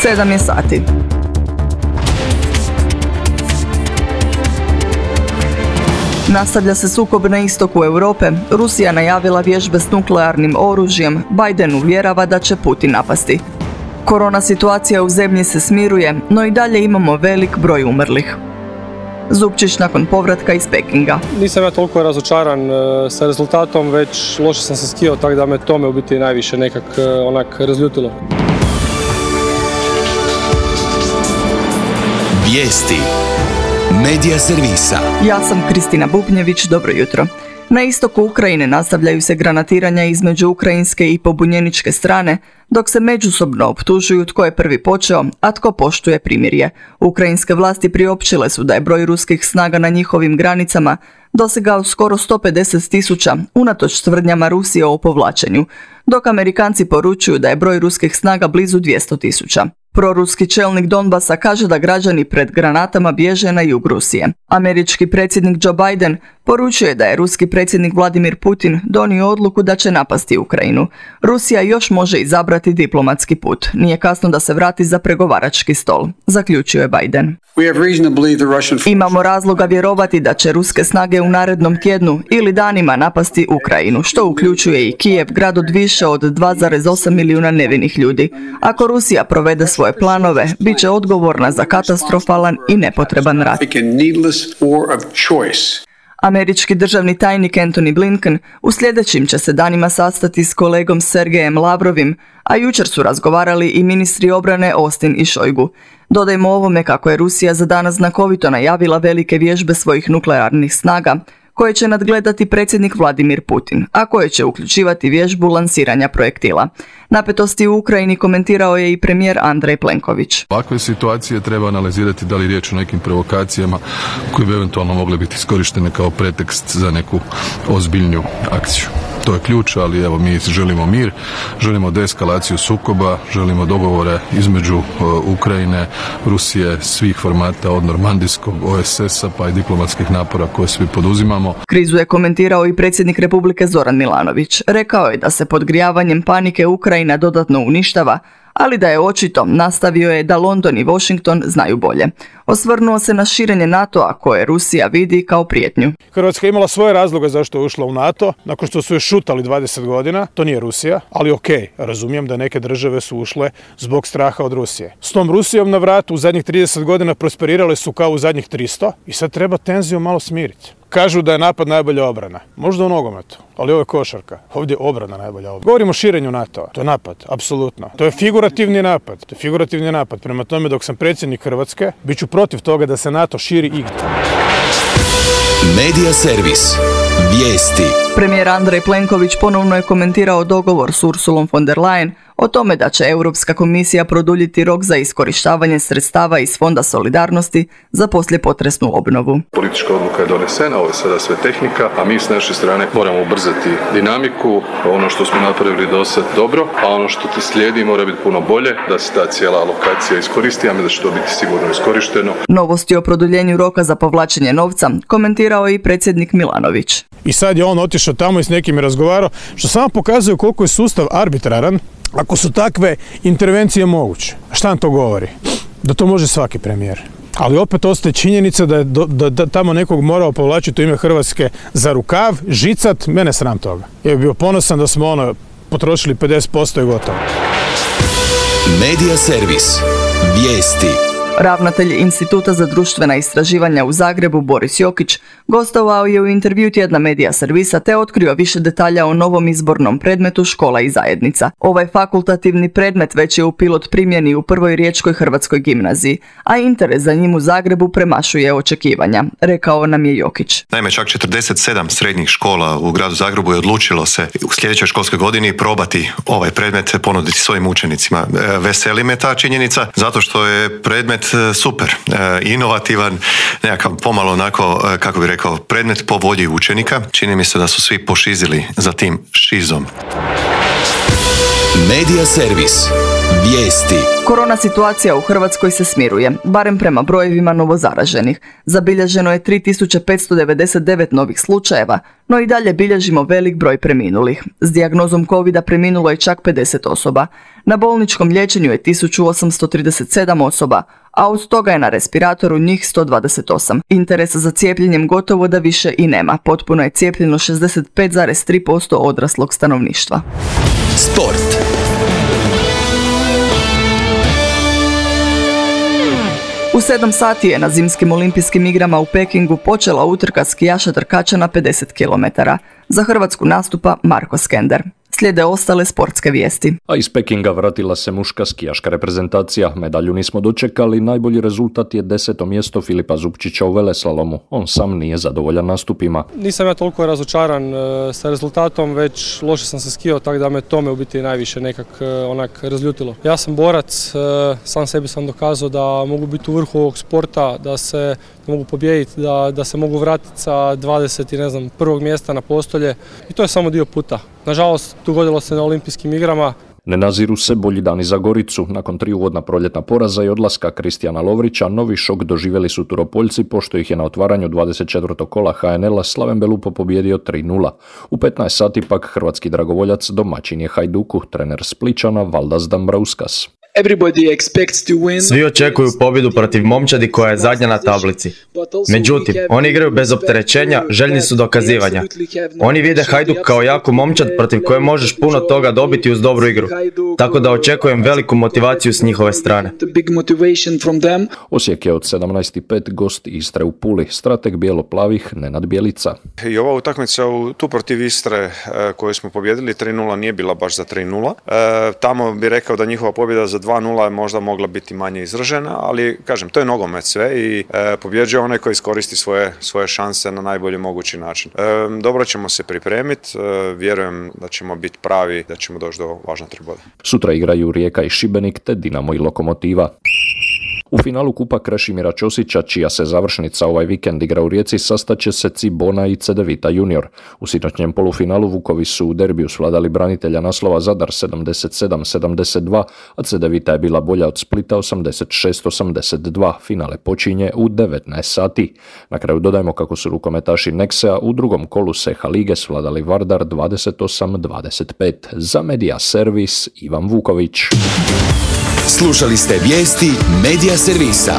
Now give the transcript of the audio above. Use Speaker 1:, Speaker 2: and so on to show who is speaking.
Speaker 1: 7 je sati. Nastavlja se sukob na istoku Europe. Rusija najavila vježbe s nuklearnim oružjem. Biden uvjerava da će Putin napasti. Korona situacija u zemlji se smiruje, no i dalje imamo velik broj umrlih. Zupčić nakon povratka iz Pekinga.
Speaker 2: Nisam ja toliko razočaran sa rezultatom, već loše sam se skijao, tako da me tome u biti najviše nekak razljutilo.
Speaker 3: Vijesti Medija servisa.
Speaker 1: Ja sam Kristina Bubnjević, dobro jutro. Na istoku Ukrajine nastavljaju se granatiranja između ukrajinske i pobunjeničke strane, dok se međusobno optužuju tko je prvi počeo, a tko poštuje primirje. Ukrajinske vlasti priopćile su da je broj ruskih snaga na njihovim granicama dosegao skoro 150.000 unatoč tvrdnjama Rusije o povlačenju, dok Amerikanci poručuju da je broj ruskih snaga blizu 200.000. Proruski čelnik Donbasa kaže da građani pred granatama bježe na jug Rusije. Američki predsjednik Joe Biden poručuje da je ruski predsjednik Vladimir Putin donio odluku da će napasti Ukrajinu. Rusija još može izabrati diplomatski put. Nije kasno da se vrati za pregovarački stol, zaključio je Biden. Imamo razloga vjerovati da će ruske snage u narednom tjednu ili danima napasti Ukrajinu, što uključuje i Kijev, grad od više od 2,8 milijuna nevinih ljudi. Ako Rusija provede svoje planove, bit će odgovorna za katastrofalan i nepotreban rat. Američki državni tajnik Antony Blinken u sljedećim će se danima sastati s kolegom Sergejem Lavrovim, a jučer su razgovarali i ministri obrane Austin i Šojgu. Dodajmo ovome kako je Rusija za danas znakovito najavila velike vježbe svojih nuklearnih snaga, koje će nadgledati predsjednik Vladimir Putin, a koje će uključivati vježbu lansiranja projektila. Napetosti u Ukrajini komentirao je i premijer Andrej Plenković.
Speaker 4: Ovakve situacije treba analizirati da li riječ o nekim provokacijama koje bi eventualno mogle biti iskorištene kao pretekst za neku ozbiljniju akciju. To je ključ, ali evo mi želimo mir, želimo deeskalaciju sukoba, želimo dogovore između Ukrajine, Rusije, svih formata od normandijskog, OSS-a pa i diplomatskih napora koje svi poduzimamo.
Speaker 1: Krizu je komentirao i predsjednik Republike Zoran Milanović. Rekao je da se podgrijavanjem panike Ukrajina dodatno uništava, ali da je očito, nastavio je, da London i Washington znaju bolje. Osvrnuo se na širenje NATO-a koje Rusija vidi kao prijetnju.
Speaker 5: Hrvatska je imala svoje razloge zašto je ušla u NATO, nakon što su je šutali 20 godina, to nije Rusija, ali okej, razumijem da neke države su ušle zbog straha od Rusije. S tom Rusijom na vratu u zadnjih 30 godina prosperirale su kao u zadnjih 300 i sad treba tenziju malo smiriti. Kažu da je napad najbolja obrana. Možda u nogometu, ali ovo je košarka. Ovdje je obrana najbolja obrana. Govorimo o širenju NATO-a. To je napad, apsolutno. To je figurativni napad. Prema tome, dok sam predsjednik Hrvatske, bit ću protiv toga da se NATO širi igdje.
Speaker 3: Medija servis. Vijesti.
Speaker 1: Premijer Andrej Plenković ponovno je komentirao dogovor s Ursulom von der Leyen o tome da će Europska komisija produljiti rok za iskorištavanje sredstava iz Fonda solidarnosti za poslijepotresnu obnovu.
Speaker 6: Politička odluka je donesena, ovo je sada sve tehnika, a mi s naše strane moramo ubrzati dinamiku. Ono što smo napravili do sad dobro, a ono što te slijedi mora biti puno bolje, da se ta cijela alokacija iskoristi, a mislim da će to biti sigurno iskorišteno.
Speaker 1: Novosti o produljenju roka za povlačenje novca komentirao je i predsjednik Milanović.
Speaker 5: I sad je on otišao tamo i s nekim je razgovarao, što samo pokazuje koliko je sustav arbitraran ako su takve intervencije moguće. Šta nam to govori? Da to može svaki premijer. Ali opet ostaje činjenica da je da tamo nekog morao povlačiti u ime Hrvatske za rukav, žicat, mene sram toga. Ja bih bio ponosan da smo potrošili 50% i gotovo.
Speaker 3: Medija servis. Vijesti.
Speaker 1: Ravnatelj Instituta za društvena istraživanja u Zagrebu Boris Jokić gostovao je u intervju tjedna Medija servisa te otkrio više detalja o novom izbornom predmetu Škola i zajednica. Ovaj fakultativni predmet već je u pilot primjeni u Prvoj riječkoj hrvatskoj gimnaziji, a interes za njim u Zagrebu premašuje očekivanja, rekao nam je Jokić.
Speaker 7: Naime, čak 47 srednjih škola u gradu Zagrebu je odlučilo se u sljedećoj školskoj godini probati ovaj predmet ponuditi svojim učenicima. Veseli me ta činjenica zato što je predmet super, inovativan, nekakav pomalo onako, kako bi rekao, predmet po volji učenika. Čini mi se da su svi pošizili za tim šizom.
Speaker 3: Medija servis. Vijesti.
Speaker 1: Korona situacija u Hrvatskoj se smiruje, barem prema brojevima novozaraženih. Zabilježeno je 3599 novih slučajeva, no i dalje bilježimo velik broj preminulih. S dijagnozom covida preminulo je čak 50 osoba. Na bolničkom liječenju je 1837 osoba, a od toga je na respiratoru njih 128. Interesa za cijepljenjem gotovo da više i nema. Potpuno je cijepljeno 65,3% odraslog stanovništva.
Speaker 3: Sport.
Speaker 1: U 7 sati je na zimskim olimpijskim igrama u Pekingu počela utrka skijaša trkača na 50 km. Za Hrvatsku nastupa Marko Skender. Slijede ostale sportske vijesti.
Speaker 8: A iz Pekinga vratila se muška skijaška reprezentacija. Medalju nismo dočekali, najbolji rezultat je 10. mjesto Filipa Zupčića u veleslalomu. On sam nije zadovoljan nastupima.
Speaker 2: Nisam ja toliko razočaran sa rezultatom, već loše sam se skijao, tako da me tome u biti najviše nekak onak razljutilo. Ja sam borac, sam sebi sam dokazao da mogu biti u vrhu ovog sporta, da mogu pobijediti, da se mogu vratiti sa 20 prvog mjesta na postolje i to je samo dio puta. Nažalost, dogodilo se na olimpijskim igrama.
Speaker 8: Ne naziru se bolji dani za Goricu. Nakon 3 uvodna proljetna poraza i odlaska Kristijana Lovrića, novi šok doživjeli su Turopoljci, pošto ih je na otvaranju 24. kola HNL-a Slaven Belupo pobijedio 3:0. U 15 sati pak hrvatski dragovoljac domaćin je Hajduku, trener Spličana Valdas Dambrauskas.
Speaker 9: Svi očekuju pobjedu protiv momčadi koja je zadnja na tablici. Međutim, oni igraju bez opterećenja, željni su dokazivanja. Oni vide Hajduk kao jaku momčad protiv koje možeš puno toga dobiti uz dobru igru. Tako da očekujem veliku motivaciju s njihove strane.
Speaker 8: Osijek je od 17:05 gost Istre u Puli, strateg bijelo-plavih Nenad Bjelica.
Speaker 10: I ova utakmica tu protiv Istre koju smo pobjedili 3:0 nije bila baš za 3:0. Tamo bi rekao da njihova pobjeda za 2:0 je možda mogla biti manje izražena, ali kažem, to je nogomet sve i pobjeđuje onaj koji iskoristi svoje šanse na najbolji mogući način. Dobro ćemo se pripremiti, vjerujem da ćemo biti pravi, da ćemo doći do važna 3 boda.
Speaker 8: Sutra igraju Rijeka i Šibenik te Dinamo i Lokomotiva. U finalu Kupa Krešimira Ćosića, čija se završnica ovaj vikend igra u Rijeci, sastaće se Cibona i Cedevita junior. U sinoćnjem polufinalu Vukovi su u derbiju svladali branitelja naslova Zadar 77-72, a Cedevita je bila bolja od Splita 86-82. Finale počinje u 19 sati. Na kraju dodajmo kako su rukometaši Nexea u drugom kolu Seha lige svladali Vardar 28-25. Za Media Servis Ivan Vuković.
Speaker 3: Slušali ste vijesti Media Servisa.